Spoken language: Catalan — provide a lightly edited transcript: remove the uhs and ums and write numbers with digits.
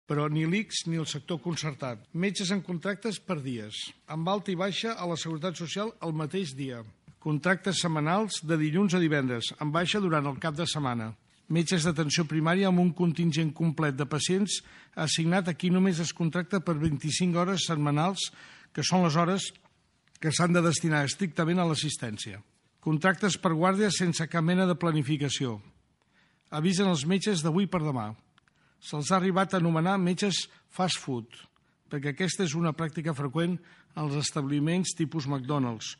però ni l'ICS ni el sector concertat. Metges en contractes per dies, amb alta i baixa a la Seguretat Social el mateix dia. Contractes setmanals de dilluns a divendres, amb baixa durant el cap de setmana. Metges d'atenció primària amb un contingent complet de pacients assignat a qui només es contracta per 25 hores setmanals, que són les hores que s'han de destinar estrictament a l'assistència. Contractes per guàrdia sense cap mena de planificació. Avisen els metges d'avui per demà. Se'ls ha arribat a anomenar metges fast food, perquè aquesta és una pràctica freqüent als establiments tipus McDonald's,